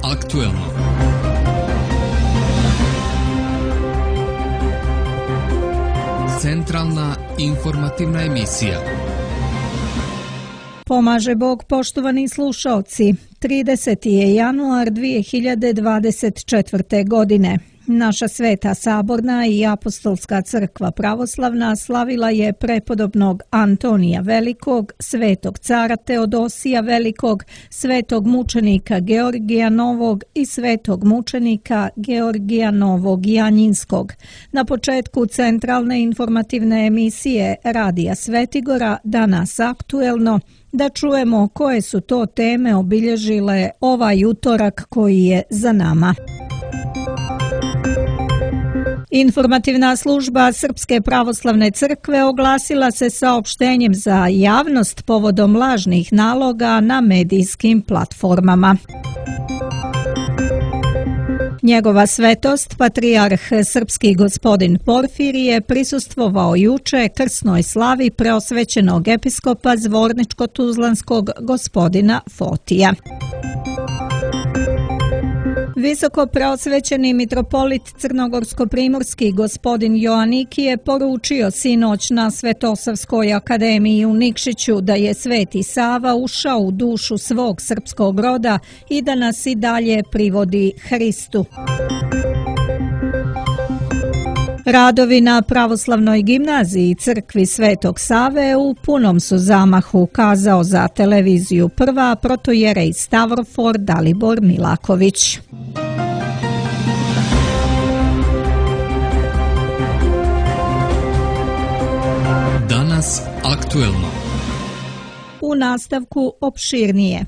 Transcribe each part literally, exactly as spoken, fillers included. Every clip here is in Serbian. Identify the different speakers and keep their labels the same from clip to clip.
Speaker 1: aktuelno. Centralna informativna emisija.
Speaker 2: Pomaže Bog, poštovani slušaoci. trideseti je januar dvije hiljade dvadeset četvrte. godine. Naša Sveta Saborna i Apostolska crkva pravoslavna slavila je prepodobnog Antonija Velikog, svetog cara Teodosija Velikog, svetog mučenika Georgija Novog i svetog mučenika Georgija Novog Janjinskog. Na početku centralne informativne emisije Radija Svetigora, danas aktuelno, da čujemo koje su to teme obilježile ovaj utorak koji je za nama. Informativna služba Srpske pravoslavne crkve oglasila se saopštenjem za javnost povodom lažnih naloga na medijskim platformama. Njegova svetost, patrijarh srpski gospodin Porfirije, prisustvovao juče krsnoj slavi preosvećenog episkopa Zvorničko-Tuzlanskog gospodina Fotija. Visoko preosvećeni mitropolit Crnogorsko-primorski gospodin Joaniki je poručio sinoć na Svetosavskoj akademiji u Nikšiću da je Sveti Sava ušao u dušu svog srpskog roda i da nas i dalje privodi Hristu. Radovi na pravoslavnoj gimnaziji crkvi Svetog Save u punom su zamahu, kazao za televiziju Prva protojerej Stavrofor Dalibor Milaković.
Speaker 1: Danas aktuelno.
Speaker 2: U nastavku opširnije.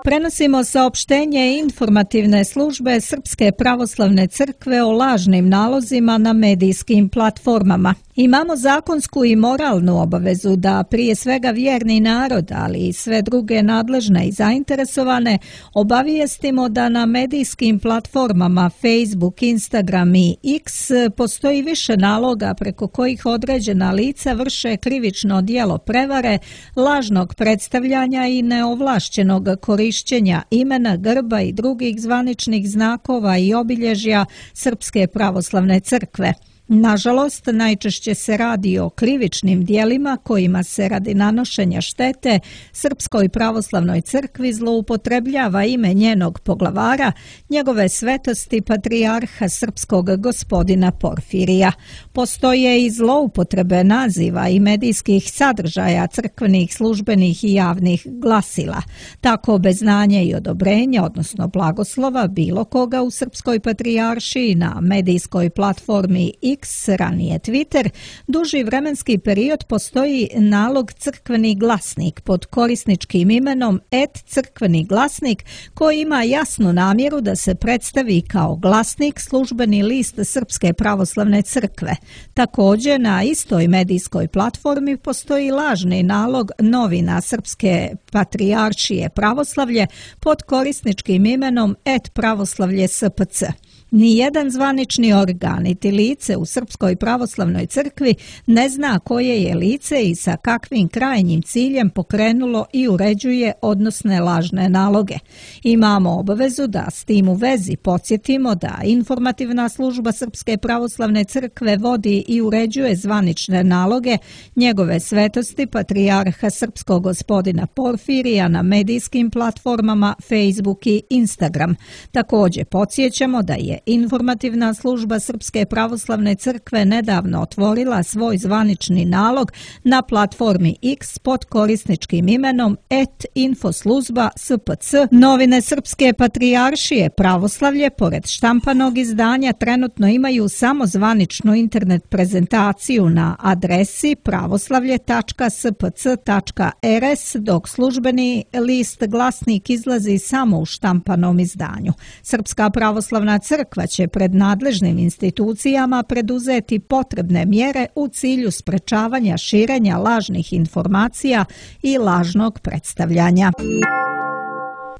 Speaker 2: Prenosimo saopštenje informativne službe Srpske pravoslavne crkve o lažnim nalozima na medijskim platformama. Imamo zakonsku i moralnu obavezu da prije svega vjerni narod, ali i sve druge nadležne i zainteresovane, obavijestimo da na medijskim platformama Facebook, Instagram i X postoji više naloga preko kojih određena lica vrše krivično djelo prevare, lažnog predstavljanja i neovlašćenog korišćenja imena, grba i drugih zvaničnih znakova i obilježja Srpske pravoslavne crkve. Nažalost, najčešće se radi o krivičnim dijelima kojima se radi nanošenja štete Srpskoj pravoslavnoj crkvi zloupotrebljava ime njenog poglavara, njegove svetosti patrijarha srpskog gospodina Porfirija. Postoje i zloupotrebe naziva i medijskih sadržaja crkvenih, službenih i javnih glasila. Tako bez znanja i odobrenja, odnosno blagoslova bilo koga u Srpskoj patrijaršiji na medijskoj platformi X, ranije Twitter, duži vremenski period postoji nalog crkveni glasnik pod korisničkim imenom et crkveni glasnik koji ima jasnu namjeru da se predstavi kao glasnik, službeni list Srpske pravoslavne crkve. Također na istoj medijskoj platformi postoji lažni nalog novina Srpske patrijaršije pravoslavlje pod korisničkim imenom et pravoslavlje S P C. Nijedan zvanični organ niti lice u Srpskoj pravoslavnoj crkvi ne zna koje je lice i sa kakvim krajnjim ciljem pokrenulo i uređuje odnosne lažne naloge. Imamo obavezu da s tim u vezi podsjetimo da informativna služba Srpske pravoslavne crkve vodi i uređuje zvanične naloge njegove svetosti patrijarha srpskog gospodina Porfirija na medijskim platformama Facebook i Instagram. Također podsjećamo da je informativna služba Srpske pravoslavne crkve nedavno otvorila svoj zvanični nalog na platformi X pod korisničkim imenom et infoslužba S P C. Novine Srpske patrijaršije pravoslavlje, pored štampanog izdanja, trenutno imaju samo zvaničnu internet prezentaciju na adresi pravoslavlje tačka s p c tačka r s, dok službeni list glasnik izlazi samo u štampanom izdanju. Srpska pravoslavna crkva će pred nadležnim institucijama preduzeti potrebne mjere u cilju sprečavanja širenja lažnih informacija i lažnog predstavljanja.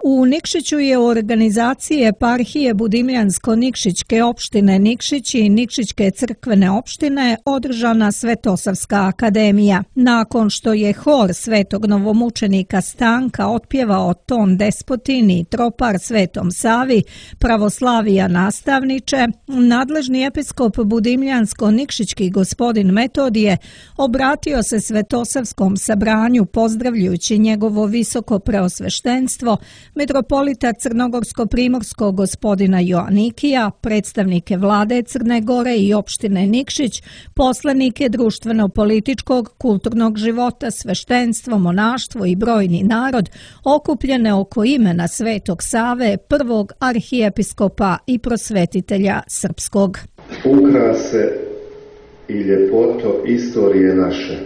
Speaker 2: U Nikšiću je u organizaciji eparhije Budimljansko-Nikšićke opštine Nikšić i Nikšićke crkvene opštine održana Svetosavska akademija. Nakon što je hor svetog novomučenika Stanka otpjevao ton Despotin i tropar Svetom Savi, pravoslavija nastavniče, nadležni episkop Budimljansko-Nikšićki gospodin Metodije obratio se Svetosavskom sabranju pozdravljajući njegovo visoko preosveštenstvo, metropolita Crnogorsko-primorskog gospodina Joanikija, predstavnike vlade Crne Gore i opštine Nikšić, poslanike društveno-političkog, kulturnog života, sveštenstvo, monaštvo i brojni narod okupljene oko imena Svetog Save, prvog arhijepiskopa i prosvetitelja srpskog.
Speaker 3: Ukrase i ljepoto istorije naše,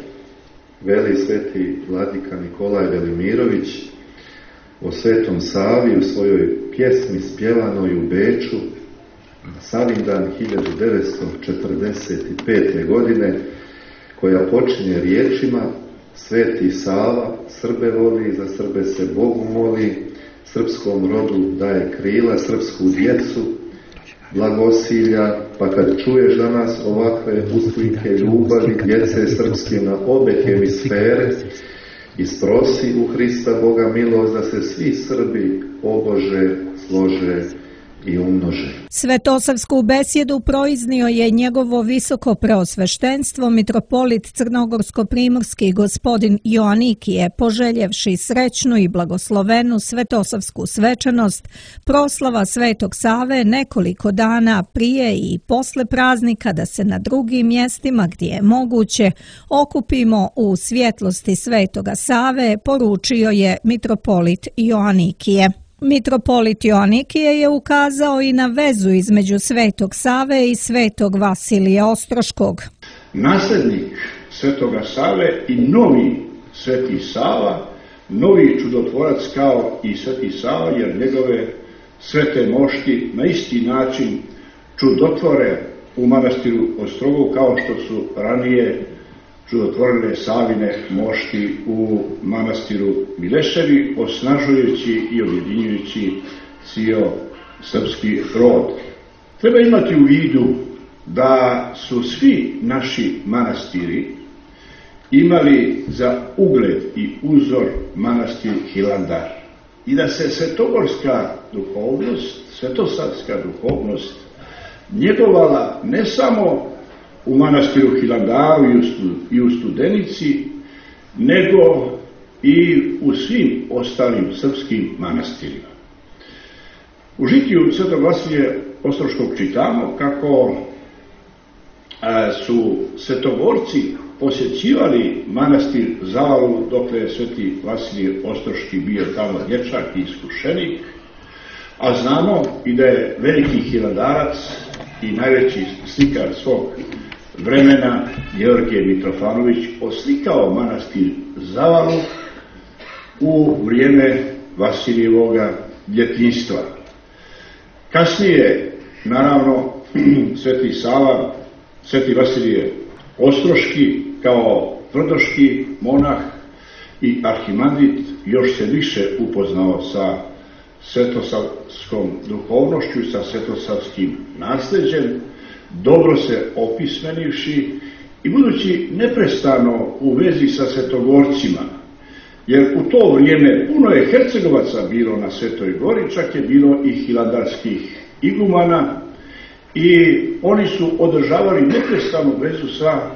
Speaker 3: veli sveti vladika Nikolaj Velimirović o Svetom Savi u svojoj pjesmi spjevanoj u Beču na Savindan hiljadu devetsto četrdeset pete. godine, koja počinje riječima: Sveti Sava Srbe voli, za Srbe se Bogu moli, srpskom rodu daje krila, srpsku djecu blagosilja, pa kad čuješ danas ovakve usklike ljubavi djece srpske na obe hemisfere, isprosi u Hrista Boga milost da se svi Srbi obože, slože i umnože.
Speaker 2: Svetosavsku besjedu proiznio je njegovo visoko preosveštenstvo mitropolit Crnogorsko-primorski gospodin Joanikije, poželjevši srećnu i blagoslovenu svetosavsku svečanost, proslava Svetog Save nekoliko dana prije i posle praznika, da se na drugim mjestima gdje je moguće okupimo u svjetlosti Svetoga Save, poručio je mitropolit Joanikije. Mitropolit Joanikije je ukazao i na vezu između Svetog Save i Svetog Vasilija Ostroškog.
Speaker 4: Nasljednik Svetoga Save i novi Sveti Sava, novi čudotvorac kao i Sveti Sava, jer njegove svete mošti na isti način čudotvore u manastiru Ostrogu kao što su ranije čudotvorene Savine mošti u manastiru Mileševi, osnažujući i objedinjujući cijel srpski rod. Treba imati u vidu da su svi naši manastiri imali za ugled i uzor manastir Hilandar i da se svetogorska duhovnost, svetosavska duhovnost njegovala ne samo u manastiru Hilandaru i u Studenici, nego i u svim ostalim srpskim manastirima. U žitiju Svetog Vasilija Ostroškog čitamo kako su svetogorci posjećivali manastir Zavalu dokle je Sveti Vasilije Ostroški bio tamo dječak i iskušenik, a znamo i da je veliki hilandarac i najveći slikar svog vremena Georgije Mitrofanović oslikao manastir Zavalu u vrijeme Vasilijevoga djetinjstva. Kasnije, naravno, Sveti Sava, Sveti Vasilije Ostroški kao tvrdoški monah i arhimandrit još se više upoznao sa svetosavskom duhovnošću i sa svetosavskim nasljeđem, dobro se opismenivši i budući neprestano u vezi sa svetogorcima, jer u to vrijeme puno je Hercegovaca bilo na Svetoj Gori, čak je bilo i hilandarskih igumana i oni su održavali neprestanu vezu sa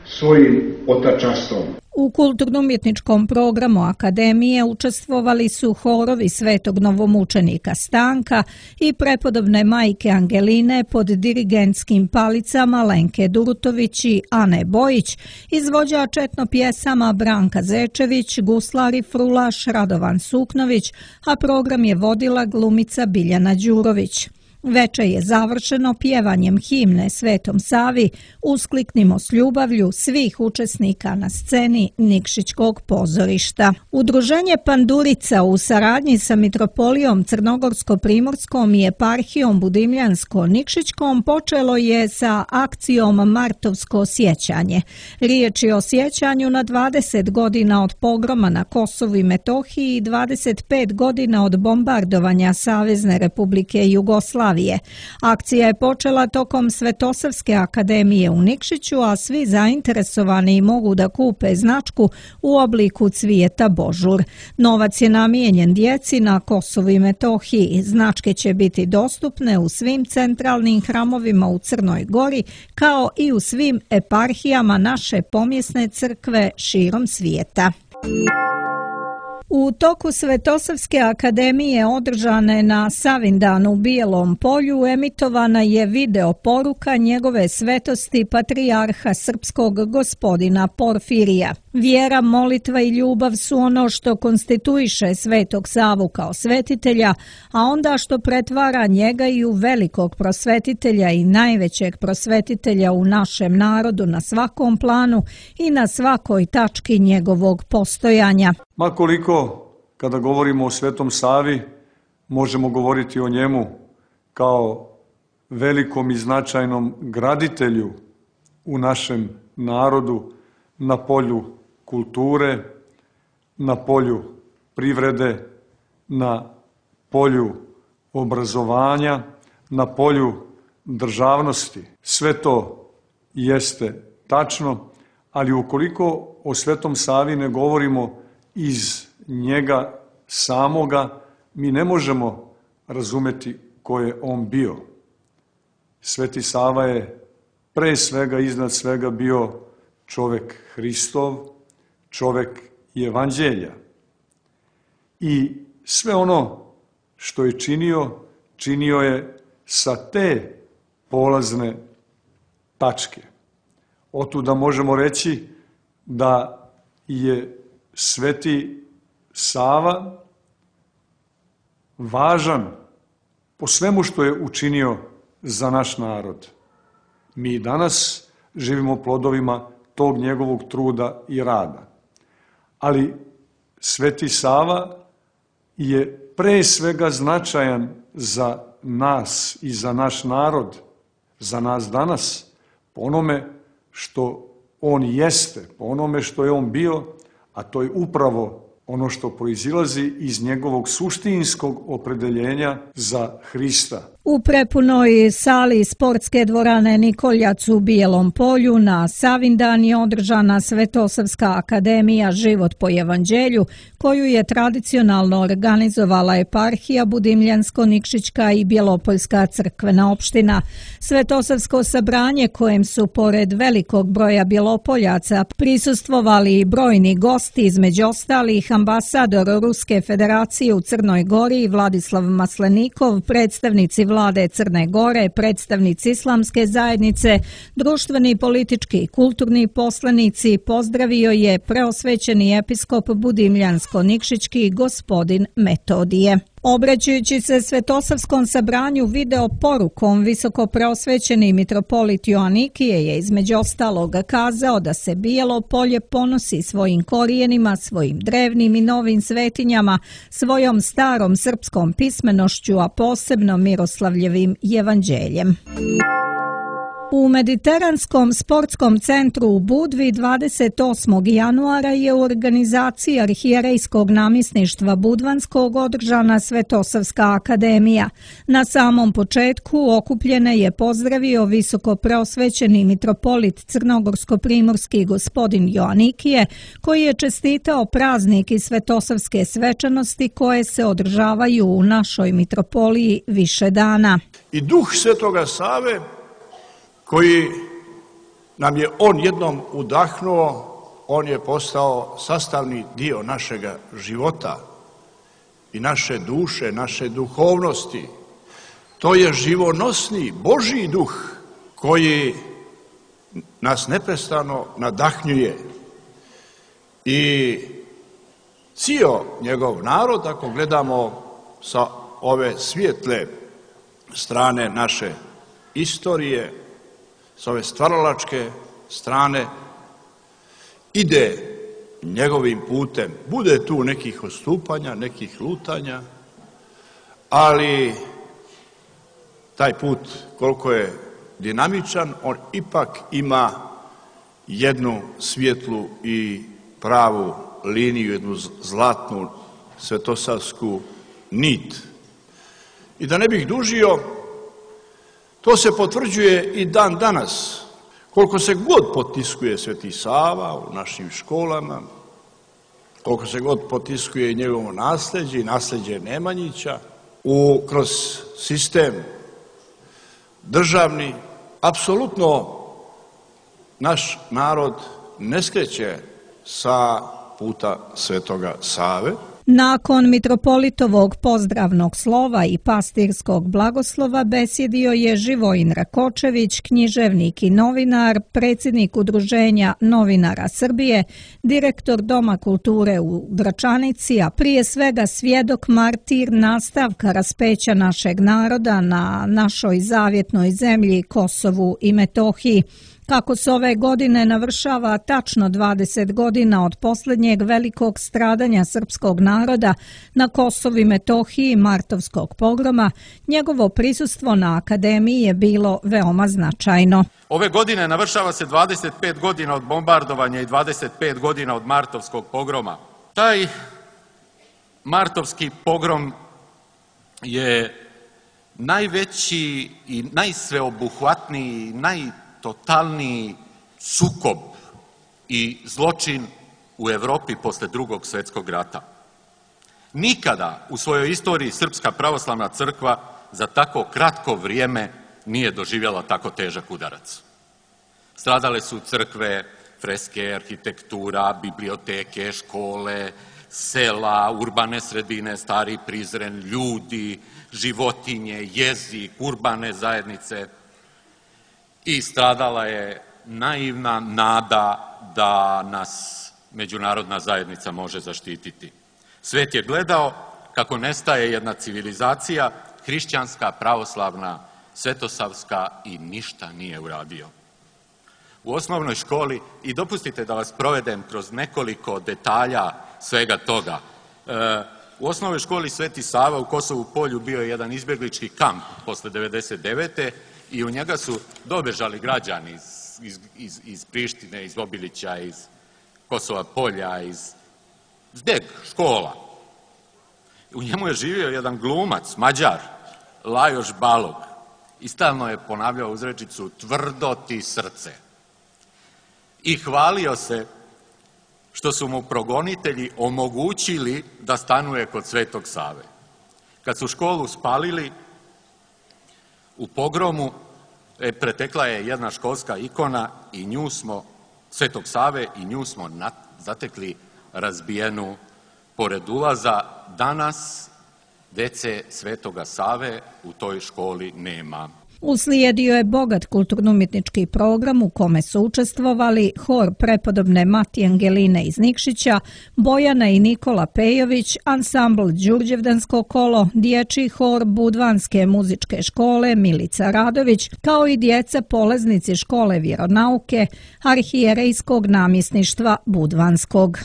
Speaker 4: svojim otačastvom.
Speaker 2: U kulturno-umjetničkom programu Akademije učestvovali su horovi Svetog novomučenika Stanka i prepodobne majke Angeline pod dirigentskim palicama Lenke Durutović i Ane Bojić, izvođač etno pjesama Branka Zečević, guslar i frulaš Radovan Suknović, a program je vodila glumica Biljana Đurović. Veče je završeno pjevanjem himne Svetom Savi Uskliknimo s ljubavlju svih učesnika na sceni Nikšićkog pozorišta. Udruženje Pandurica u saradnji sa Mitropolijom Crnogorsko-primorskom i eparhijom Budimljansko-Nikšićkom počelo je sa akcijom Martovsko sjećanje. Riječ je o sjećanju na dvadeset godina od pogroma na Kosovu i Metohiji i dvadeset pet godina od bombardovanja Savezne Republike Jugoslavije. Akcija je počela tokom Svetosavske akademije u Nikšiću, a svi zainteresovani mogu da kupe značku u obliku cvijeta božur. Novac je namijenjen djeci na Kosovu i Metohiji. Značke će biti dostupne u svim centralnim hramovima u Crnoj Gori, kao i u svim eparhijama naše pomjesne crkve širom svijeta. U toku Svetosavske akademije održane na Savindanu u Bijelom Polju emitovana je video poruka njegove svetosti patrijarha srpskog gospodina Porfirija. Vjera, molitva i ljubav su ono što konstituiše Svetog Savu kao svetitelja, a onda što pretvara njega i u velikog prosvetitelja i najvećeg prosvetitelja u našem narodu na svakom planu i na svakoj tački njegovog postojanja.
Speaker 5: Ma koliko, kada govorimo o Svetom Savi, možemo govoriti o njemu kao velikom i značajnom graditelju u našem narodu na polju kulture, na polju privrede, na polju obrazovanja, na polju državnosti. Sve to jeste tačno, ali ukoliko o Svetom Savi ne govorimo iz njega samoga, mi ne možemo razumeti ko je on bio. Sveti Sava je pre svega, iznad svega bio čovek Hristov, čovek Evanđelja. I sve ono što je činio, činio je sa te polazne tačke. Otuda možemo reći da je Sveti Sava važan po svemu što je učinio za naš narod. Mi danas živimo plodovima tog njegovog truda i rada. Ali Sveti Sava je pre svega značajan za nas i za naš narod, za nas danas, po onome što on jeste, po onome što je on bio, a to je upravo ono što proizilazi iz njegovog suštinskog opredeljenja za Hrista.
Speaker 2: U prepunoj sali sportske dvorane Nikoljac u Bijelom Polju na Savindan je održana Svetosavska akademija Život po Evanđelju, koju je tradicionalno organizovala eparhija Budimljansko-Nikšićka i Bjelopoljska crkvena opština. Svetosavsko sabranje, kojem su pored velikog broja Bjelopoljaca prisustvovali i brojni gosti, između ostalih ambasador Ruske federacije u Crnoj Gori Vladislav Maslenikov, predstavnici vlade Crne Gore, predstavnici islamske zajednice, društveni, politički i kulturni poslanici, pozdravio je preosvećeni episkop Budimljansko-Nikšićki gospodin Metodije. Obraćajući se Svetosavskom sabranju video porukom, visoko preosvećeni mitropolit Joanikije je između ostalog kazao da se Bijelo Polje ponosi svojim korijenima, svojim drevnim i novim svetinjama, svojom starom srpskom pismenošću, a posebno Miroslavljevim evanđeljem. U Mediteranskom sportskom centru u Budvi dvadeset osmog januara je u organizaciji Arhijerejskog namjesništva Budvanskog održana Svetosavska akademija. Na samom početku okupljene je pozdravio visoko preosvećeni mitropolit Crnogorsko-primorski gospodin Joanikije, koji je čestitao praznik i svetosavske svečanosti koje se održavaju u našoj mitropoliji više dana.
Speaker 6: I duh Svetoga Save, koji nam je on jednom udahnuo, on je postao sastavni dio našega života i naše duše, naše duhovnosti. To je živonosni Božji duh koji nas neprestano nadahnjuje. I cijel njegov narod, ako gledamo sa ove svijetle strane naše istorije, s ove stvaralačke strane, ide njegovim putem. Bude tu nekih odstupanja, nekih lutanja, ali taj put, koliko je dinamičan, on ipak ima jednu svjetlu i pravu liniju, jednu zlatnu svetosavsku nit. I da ne bih dužio, to se potvrđuje i dan danas. Koliko se god potiskuje Sveti Sava u našim školama, koliko se god potiskuje njegovo nasljeđe i nasljeđe Nemanjića, u, kroz sistem državni, apsolutno naš narod ne skreće sa puta Svetoga Save.
Speaker 2: Nakon mitropolitovog pozdravnog slova i pastirskog blagoslova besjedio je Živojin Rakočević, književnik i novinar, predsjednik Udruženja novinara Srbije, direktor Doma kulture u Gračanici, a prije svega svjedok martir nastavka raspeća našeg naroda na našoj zavjetnoj zemlji Kosovu i Metohiji. Kako se ove godine navršava tačno dvadeset godina od posljednjeg velikog stradanja srpskog naroda na Kosovu i Metohiji martovskog pogroma, njegovo prisustvo na akademiji je bilo veoma značajno.
Speaker 7: Ove godine navršava se dvadeset pet godina od bombardovanja i dvadeset pet godina od martovskog pogroma. Taj martovski pogrom je najveći i najsveobuhvatniji, naj totalni sukob i zločin u Evropi posle Drugog svjetskog rata. Nikada u svojoj istoriji Srpska pravoslavna crkva za tako kratko vrijeme nije doživjela tako težak udarac. Stradale su crkve, freske, arhitektura, biblioteke, škole, sela, urbane sredine, Stari Prizren, ljudi, životinje, jezik, urbane zajednice. I stradala je naivna nada da nas međunarodna zajednica može zaštititi. Svet je gledao kako nestaje jedna civilizacija, hrišćanska, pravoslavna, svetosavska, i ništa nije uradio. U osnovnoj školi, i dopustite da vas provedem kroz nekoliko detalja svega toga, u osnovnoj školi Sveti Sava u Kosovu Polju bio je jedan izbjeglički kamp posle devedeset devete i u njega su dobežali građani iz, iz, iz, iz Prištine, iz Obilića, iz Kosova Polja, iz Zdeg, škola. U njemu je živio jedan glumac, Mađar, Lajoš Balog, i stalno je ponavljao uzrečicu tvrdo ti srce. I hvalio se što su mu progonitelji omogućili da stanuje kod Svetog Save. Kad su školu spalili u pogromu, e, pretekla je jedna školska ikona i nju smo, Svetog Save, i nju smo nat, zatekli razbijenu pored ulaza. Danas dece Svetoga Save u toj školi nema.
Speaker 2: Uslijedio je bogat kulturno-umjetnički program u kome su učestvovali hor prepodobne Mati Angeline iz Nikšića, Bojana i Nikola Pejović, ansambl Đurđevdansko kolo, dječji hor Budvanske muzičke škole Milica Radović, kao i djeca polaznici škole vjeronauke arhijerejskog namjesništva Budvanskog.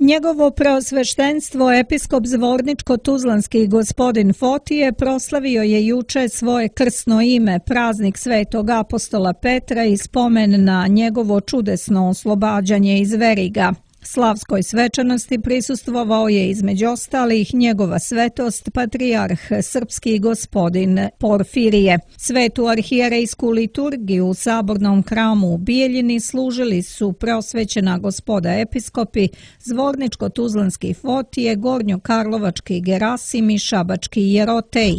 Speaker 2: Njegovo preosveštenstvo episkop Zvorničko-Tuzlanski gospodin Fotije proslavio je juče svoje krsno ime, praznik Svetog apostola Petra, i spomen na njegovo čudesno oslobađanje iz veriga. Slavskoj svečanosti prisustvovao je između ostalih njegova svetost patrijarh srpski gospodin Porfirije. Svetu arhijerejsku liturgiju u sabornom hramu u Bijeljini služili su preosvećena gospoda episkopi Zvorničko-Tuzlanski Fotije, Gornjokarlovački Gerasim i Šabački Jerotej.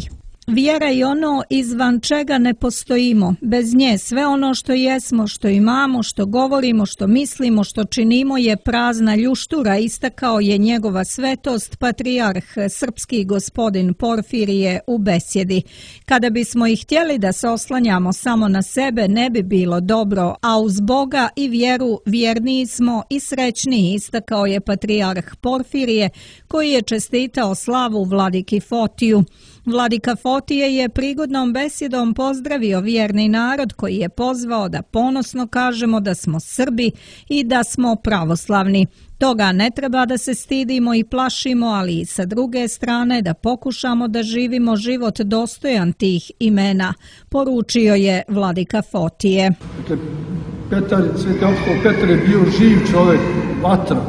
Speaker 2: Vjera je ono izvan čega ne postojimo. Bez nje sve ono što jesmo, što imamo, što govorimo, što mislimo, što činimo je prazna ljuštura, istakao je njegova svetost patrijarh srpski gospodin Porfirije u besjedi. Kada bismo i htjeli da se oslanjamo samo na sebe, ne bi bilo dobro, a uz Boga i vjeru vjerniji smo i srećniji, istakao je patrijarh Porfirije, koji je čestitao slavu vladiki Fotiju. Vladika Fotiju Fotije je prigodnom besjedom pozdravio vjerni narod koji je pozvao da ponosno kažemo da smo Srbi i da smo pravoslavni. Toga ne treba da se stidimo i plašimo, ali i sa druge strane da pokušamo da živimo život dostojan tih imena, poručio je vladika Fotije.
Speaker 8: Dakle, Petar, Sveti apostol Petar je bio živ čovjek, vatra,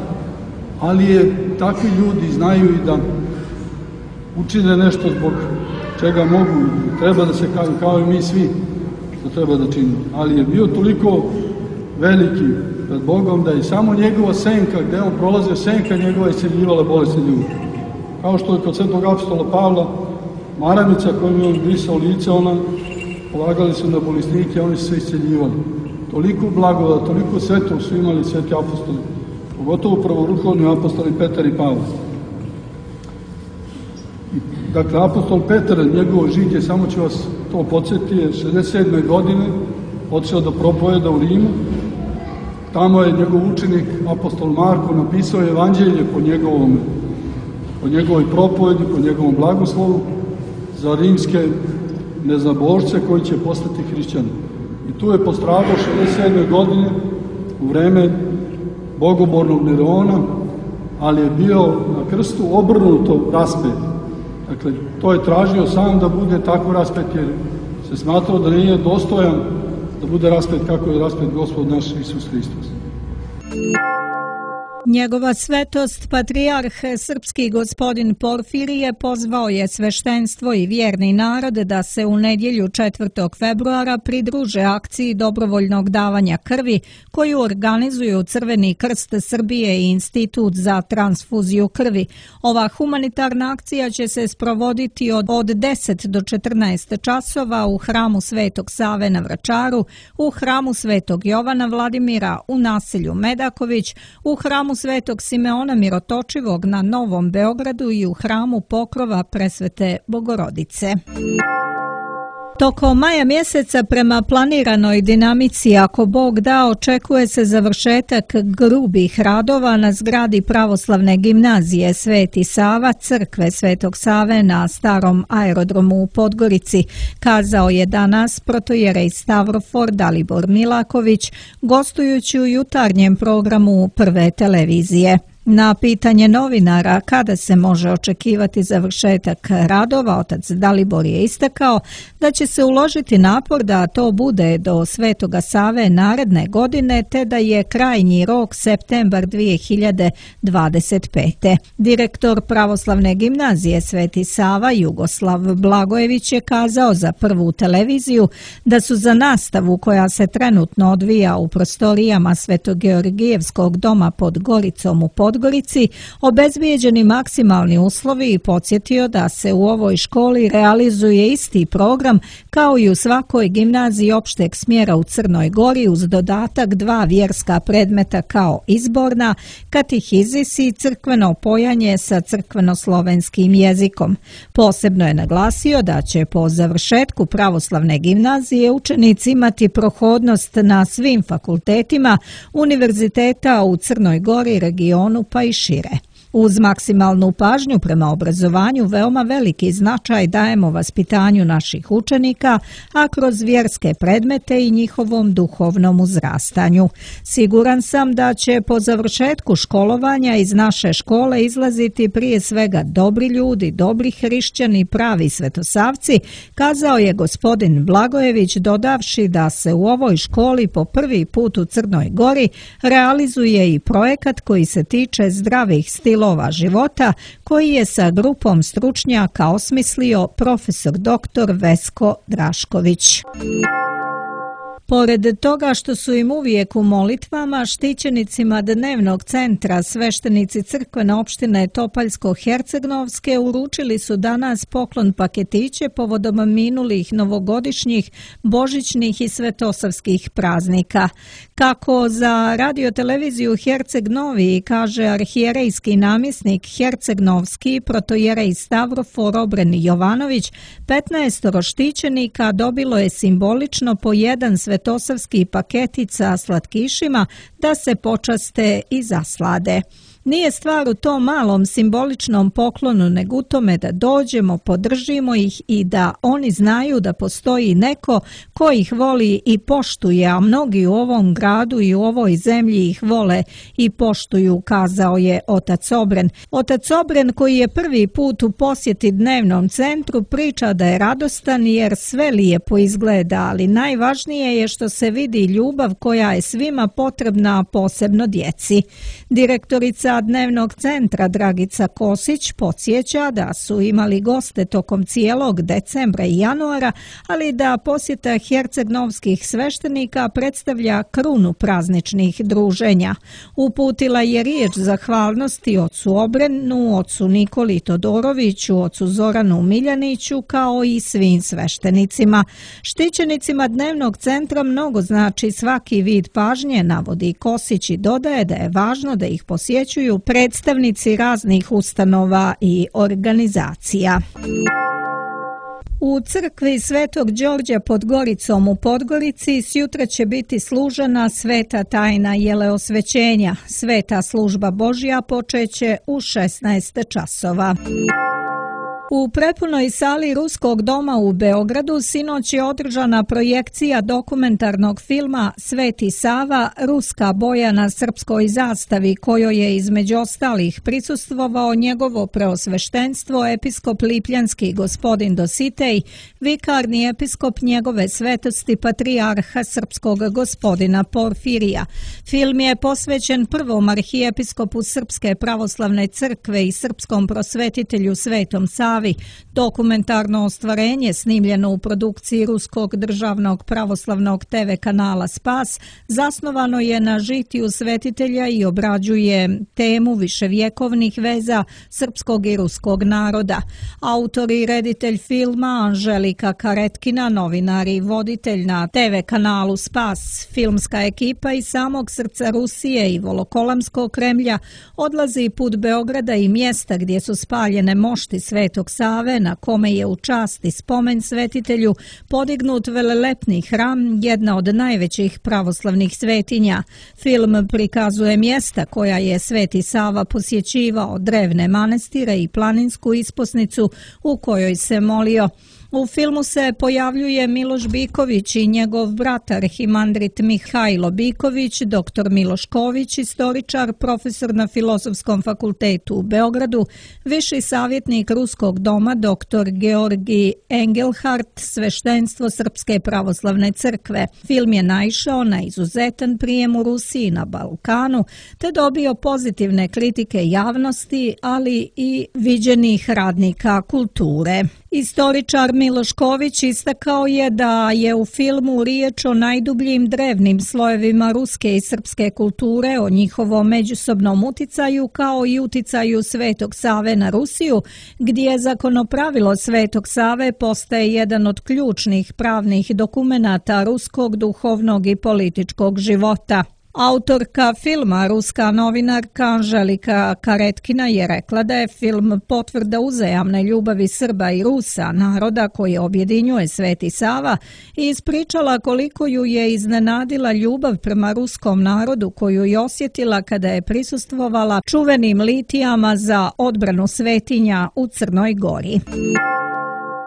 Speaker 8: ali je takvi ljudi znaju i da učine nešto zbog čega mogu, treba da se kao, kao i mi svi, što treba da činimo. Ali je bio toliko veliki pred Bogom da je samo njegova senka, gde on prolazio, senka njegova isceljivala bolesne ljudi. Kao što je kod svetog apostola Pavla, maramica kojom je on brisao lice, ona polagali su na bolesnike, oni su se isceljivali. Toliko blagoda, toliko svetog su imali sveti apostoli, pogotovo prvoruhovni apostoli Petar i Pavle. Dakle, apostol Petar, njegovo žitje, samo ću vas to podsjetiti, je šezdeset sedme godine otišao da propoveda u Rimu. Tamo je njegov učenik, apostol Marko, napisao evanđelje po njegovom, po njegovoj propovedi, po njegovom blagoslovu za rimske neznabošce koji će postati hrišćani. I tu je postradao šezdeset sedme godine u vreme bogobornog Nerona, ali je bio na krstu obrnuto raspet. Dakle, to je tražio sam da bude tako raspet, jer se smatrao da nije dostojan da bude raspet kako je raspet Gospod naš Isus Hristos.
Speaker 2: Njegova svetost, patrijarh srpski gospodin Porfirije, pozvao je sveštenstvo i vjerni narod da se u nedjelju četvrtog februara pridruže akciji dobrovoljnog davanja krvi koju organizuju Crveni krst Srbije i Institut za transfuziju krvi. Ova humanitarna akcija će se sprovoditi od, od deset do četrnaest časova u hramu Svetog Save na Vračaru, u hramu Svetog Jovana Vladimira u naselju Medaković, u hramu Svetog Simeona Mirotočivog na Novom Beogradu i u hramu Pokrova Presvete Bogorodice. Tokom maja mjeseca prema planiranoj dinamici, ako Bog da, očekuje se završetak grubih radova na zgradi pravoslavne gimnazije Sveti Sava, crkve Svetog Save na starom aerodromu u Podgorici, kazao je danas protojerej Stavrofor Dalibor Milaković, gostujući u jutarnjem programu Prve televizije. Na pitanje novinara kada se može očekivati završetak radova, otac Dalibor je istakao da će se uložiti napor da to bude do Svetoga Save naredne godine, te da je krajnji rok septembar dvije hiljade dvadeset pete. Direktor pravoslavne gimnazije Sveti Sava Jugoslav Blagojević je kazao za Prvu televiziju da su za nastavu koja se trenutno odvija u prostorijama Svetogeorgijevskog doma pod Goricom u Podgorici Podgorici obezbijeđeni maksimalni uslovi i podsjetio da se u ovoj školi realizuje isti program kao i u svakoj gimnaziji opšteg smjera u Crnoj Gori uz dodatak dva vjerska predmeta kao izborna, katehizis i crkveno pojanje sa crkveno-slovenskim jezikom. Posebno je naglasio da će po završetku pravoslavne gimnazije učenici imati prohodnost na svim fakultetima univerziteta u Crnoj Gori, regionu pa i šire. Uz maksimalnu pažnju prema obrazovanju veoma veliki značaj dajemo vaspitanju naših učenika, a kroz vjerske predmete i njihovom duhovnom uzrastanju. Siguran sam da će po završetku školovanja iz naše škole izlaziti prije svega dobri ljudi, dobri hrišćani, pravi svetosavci, kazao je gospodin Blagojević, dodavši da se u ovoj školi po prvi put u Crnoj Gori realizuje i projekat koji se tiče zdravih stilova života, koji je sa grupom stručnjaka osmislio profesor doktor Vesko Drašković. Pored toga što su im uvijek u molitvama, štićenicima dnevnog centra sveštenici crkvene opštine Topaljsko-Hercegnovske uručili su danas poklon paketiće povodom minulih novogodišnjih, božićnih i svetosavskih praznika. Kako za radioteleviziju Herceg Novi kaže arhijerejski namjesnik Hercegnovski protojerej Stavrofor Obren Jovanović, petnaestoro štićenika dobilo je simbolično po jedan svetosavski paketica slatkišima da se počaste i zaslade. Nije stvar u tom malom simboličnom poklonu, nego u tome da dođemo, podržimo ih i da oni znaju da postoji neko ko ih voli i poštuje, a mnogi u ovom gradu i u ovoj zemlji ih vole i poštuju, kazao je otac Obren. Otac Obren, koji je prvi put u posjeti dnevnom centru, priča da je radostan jer sve lijepo izgleda, ali najvažnije je što se vidi ljubav koja je svima potrebna, a posebno djeci. Direktorica dnevnog centra Dragica Kosić podsjeća da su imali goste tokom cijelog decembra i januara, ali da posjeta hercegnovskih sveštenika predstavlja krunu prazničnih druženja. Uputila je riječ zahvalnosti ocu Obrenu, ocu Nikoli Todoroviću, ocu Zoranu Miljaniću, kao i svim sveštenicima. Štićenicima dnevnog centra mnogo znači svaki vid pažnje, navodi Kosić i dodaje da je važno da ih posjećuju predstavnici raznih ustanova i organizacija. U crkvi Svetog Đorđa pod Goricom u Podgorici sjutra će biti služena sveta tajna jeleosvećenja. Sveta služba Božja počeće u šesnaest časova. U prepunoj sali Ruskog doma u Beogradu sinoć je održana projekcija dokumentarnog filma Sveti Sava, ruska boja na srpskoj zastavi, kojoj je između ostalih prisustvovao njegovo preosveštenstvo episkop Lipljanski gospodin Dositej, vikarni episkop njegove svetosti patrijarha srpskog gospodina Porfirija. Film je posvećen prvom arhijepiskopu Srpske pravoslavne crkve i srpskom prosvetitelju Svetom Savi. Dokumentarno ostvarenje, snimljeno u produkciji Ruskog državnog pravoslavnog te ve kanala Spas, zasnovano je na žitiju svetitelja i obrađuje temu viševjekovnih veza srpskog i ruskog naroda. Autor i reditelj filma Anželika Karetkina, novinar i voditelj na te ve kanalu Spas, filmska ekipa iz samog srca Rusije i Volokolamskog Kremlja odlazi put Beograda i mjesta gdje su spaljene mošti Svetog Save, na kome je u čast i spomen svetitelju podignut velelepni hram, jedna od najvećih pravoslavnih svetinja. Film prikazuje mjesta koja je Sveti Sava posjećivao, drevne manastire i planinsku isposnicu u kojoj se molio. U filmu se pojavljuje Miloš Biković i njegov brat arhimandrit Mihajlo Biković, doktor Miloš Ković, istoričar, profesor na Filozofskom fakultetu u Beogradu, viši savjetnik Ruskog doma doktor Georgi Engelhardt, sveštenstvo Srpske pravoslavne crkve. Film je naišao na izuzetan prijem u Rusiji, na Balkanu, te dobio pozitivne kritike javnosti, ali i viđenih radnika kulture. Istoričar Miloš Ković istakao je da je u filmu riječ o najdubljim drevnim slojevima ruske i srpske kulture, o njihovom međusobnom uticaju kao i uticaju Svetog Save na Rusiju, gdje zakonopravilo Svetog Save postaje jedan od ključnih pravnih dokumenata ruskog duhovnog i političkog života. Autorka filma, ruska novinarka Anželika Karetkina, je rekla da je film potvrda uzajamne ljubavi Srba i Rusa, naroda koji objedinjuje Sveti Sava, i ispričala koliko ju je iznenadila ljubav prema ruskom narodu koju je osjetila kada je prisustvovala čuvenim litijama za odbranu svetinja u Crnoj Gori.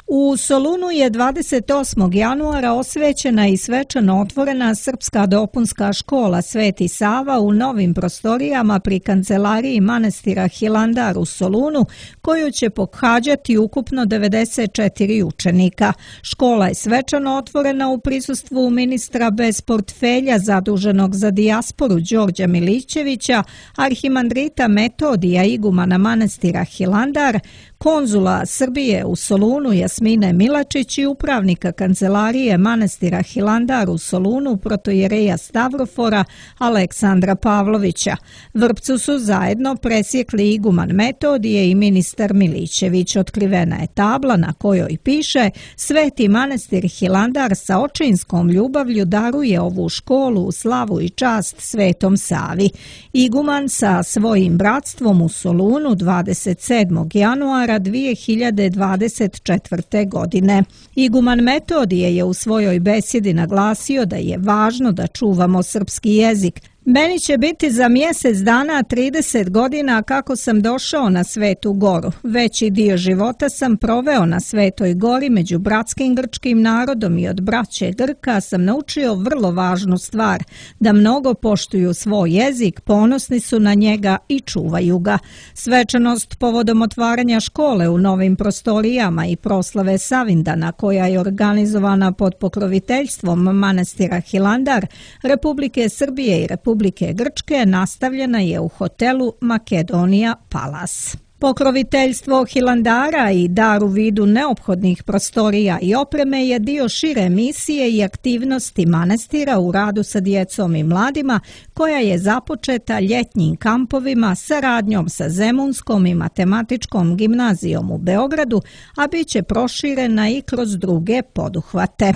Speaker 2: U Solunu je dvadeset osmog januara osvećena i svečano otvorena Srpska dopunska škola Sveti Sava u novim prostorijama pri kancelariji manastira Hilandar u Solunu, koju će pohađati ukupno devedeset četiri učenika. Škola je svečano otvorena u prisustvu ministra bez portfelja zaduženog za dijasporu Đorđa Milićevića, arhimandrita Metodija igumana manastira Hilandar, konzula Srbije u Solunu Jasmine Milačić i upravnika kancelarije manastira Hilandar u Solunu protojereja Stavrofora Aleksandra Pavlovića. Vrpcu su zajedno presjekli iguman Metodije i ministar Milićević. Otkrivena je tabla na kojoj piše: Sveti manastir Hilandar sa očinskom ljubavlju daruje ovu školu u slavu i čast Svetom Savi. Iguman sa svojim bratstvom u Solunu dvadeset sedmog januara dvije hiljade dvadeset četvrte. godine. Iguman Metodije je u svojoj besjedi naglasio da je važno da čuvamo srpski jezik, Meni će biti za mjesec dana trideset godina kako sam došao na Svetu Goru. Veći dio života sam proveo na Svetoj Gori među bratskim grčkim narodom i od braće Grka sam naučio vrlo važnu stvar, da mnogo poštuju svoj jezik, ponosni su na njega i čuvaju ga. Svečanost povodom otvaranja škole u novim prostorijama i proslave Savindana, koja je organizovana pod pokroviteljstvom manastira Hilandar, Republike Srbije i Republike Republike Grčke, nastavljena je u hotelu Makedonija Palace. Pokroviteljstvo Hilandara i dar u vidu neophodnih prostorija i opreme je dio šire misije i aktivnosti manastira u radu sa djecom i mladima, koja je započeta ljetnim kampovima, saradnjom sa Zemunskom i matematičkom gimnazijom u Beogradu, a bit će proširena i kroz druge poduhvate.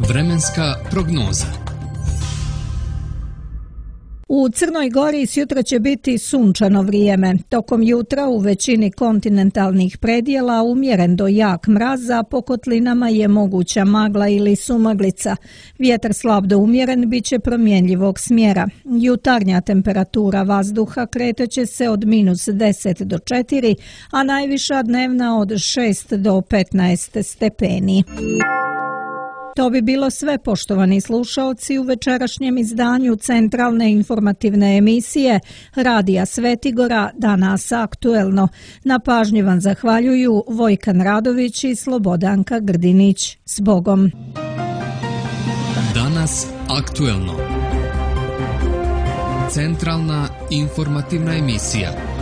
Speaker 1: Vremenska prognoza.
Speaker 2: U Crnoj Gori sutra će biti sunčano vrijeme. Tokom jutra u većini kontinentalnih predjela umjeren do jak mraz, a po kotlinama je moguća magla ili sumaglica. Vjetar slab do umjeren bit će promjenjivog smjera. Jutarnja temperatura vazduha kretaće se od minus deset do četiri, a najviša dnevna od šest do petnaest stepeni. To bi bilo sve, poštovani slušaoci, u večerašnjem izdanju centralne informativne emisije Radija Svetigora, Danas aktuelno. Na pažnji vam zahvaljuju Vojkan Radović i Slobodanka Grdinić. S Bogom!
Speaker 1: Danas aktuelno. Centralna informativna emisija.